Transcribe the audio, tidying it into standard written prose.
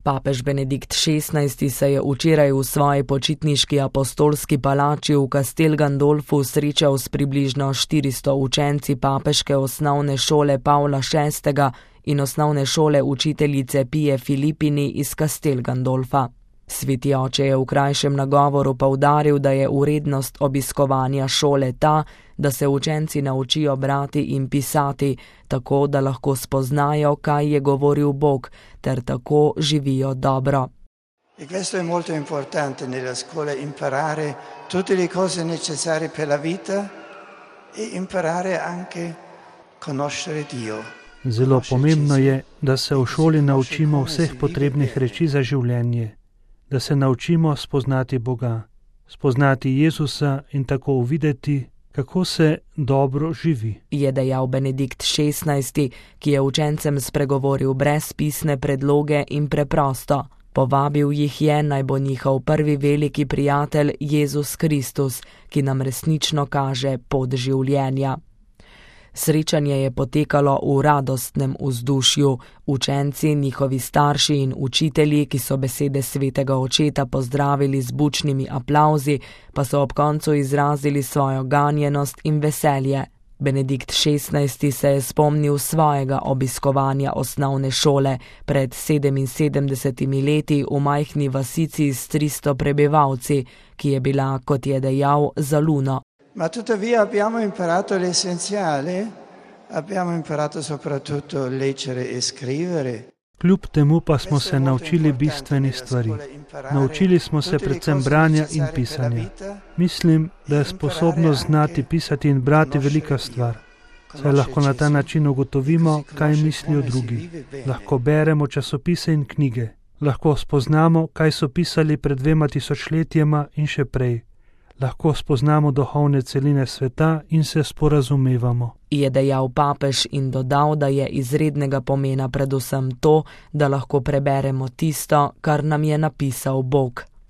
Papež Benedikt XVI se je včeraj v svoji počitniški apostolski palači v Castel Gandolfu srečal s približno 400 učenci papeške osnovne šole Pavla VI. In osnovne šole učiteljice Pije Filipini iz Castel Gandolfa. Sveti oče je v krajšem nagovoru poudaril, da je vrednost obiskovanja šole ta, da se učenci naučijo brati in pisati, tako da lahko spoznajo, kaj je govoril Bog, ter tako živijo dobro. E questo è molto importante nella scuola, imparare tutte le cose necessarie per la vita e imparare anche conoscere Dio. Zelo pomembno je, da se v šoli naučimo vseh potrebnih reči za življenje, da se naučimo spoznati Boga, spoznati Jezusa in tako uvideti, kako se dobro živi. Je dejal Benedikt XVI, ki je učencem spregovoril brez pisne predloge in preprosto. Povabil jih je, naj bo njihov prvi veliki prijatelj Jezus Kristus, ki nam resnično kaže pot življenja. Srečanje je potekalo v radostnem vzdušju. Učenci, njihovi starši in učitelji, ki so besede svetega očeta pozdravili z bučnimi aplavzi, pa so ob koncu izrazili svojo ganjenost in veselje. Benedikt XVI se je spomnil svojega obiskovanja osnovne šole pred 77 leti v majhni vasici s 300 prebivalci, ki je bila, kot je dejal, za luno. Ma tuttavia abbiamo imparato l'essenziale, abbiamo imparato soprattutto leggere e scrivere. Kljub temu pa smo se naučili bistvenih stvari. Naučili smo se predvsem branja in pisanja. Mislim, da je sposobnost znati pisati in brati velika stvar. Saj lahko na ta način ugotovimo, kaj mislijo drugi. Lahko beremo časopise in knjige. Lahko spoznamo, kaj so pisali pred 2000 letjema in še prej. Lahko spoznamo duhovne celine sveta in se sporazumevamo. Je dejal papež in dodal, da je izrednega pomena predvsem to, da lahko preberemo tisto, kar nam je napisal Bog.